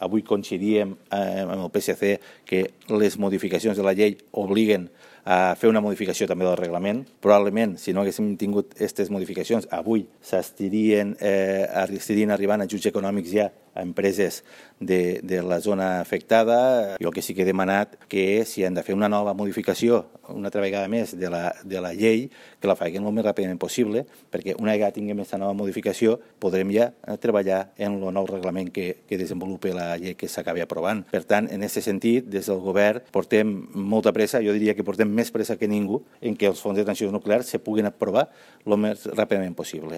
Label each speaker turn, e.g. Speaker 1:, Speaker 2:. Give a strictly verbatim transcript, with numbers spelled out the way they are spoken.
Speaker 1: Avui coincidíem eh, amb el P S C que les modificacions de la llei obliguen a fer una modificació també del reglament. Probablement, si no haguéssim tingut aquestes modificacions, avui s'estarien eh, estarien arribant a ajuts econòmics ja a empreses de, de la zona afectada. Jo el que sí que he demanat que si han de fer una nova modificació, una altra vegada més, de la, de la llei, que la facin el més ràpidament possible, perquè una vegada tinguem aquesta nova modificació podrem ja treballar en el nou reglament que, que desenvolupi la llei que s'acabi aprovant. Per tant, en aquest sentit, des del govern portem molta pressa, jo diria que portem més pressa que ningú, en què els fons de transició nuclear se puguin aprovar el més ràpidament possible.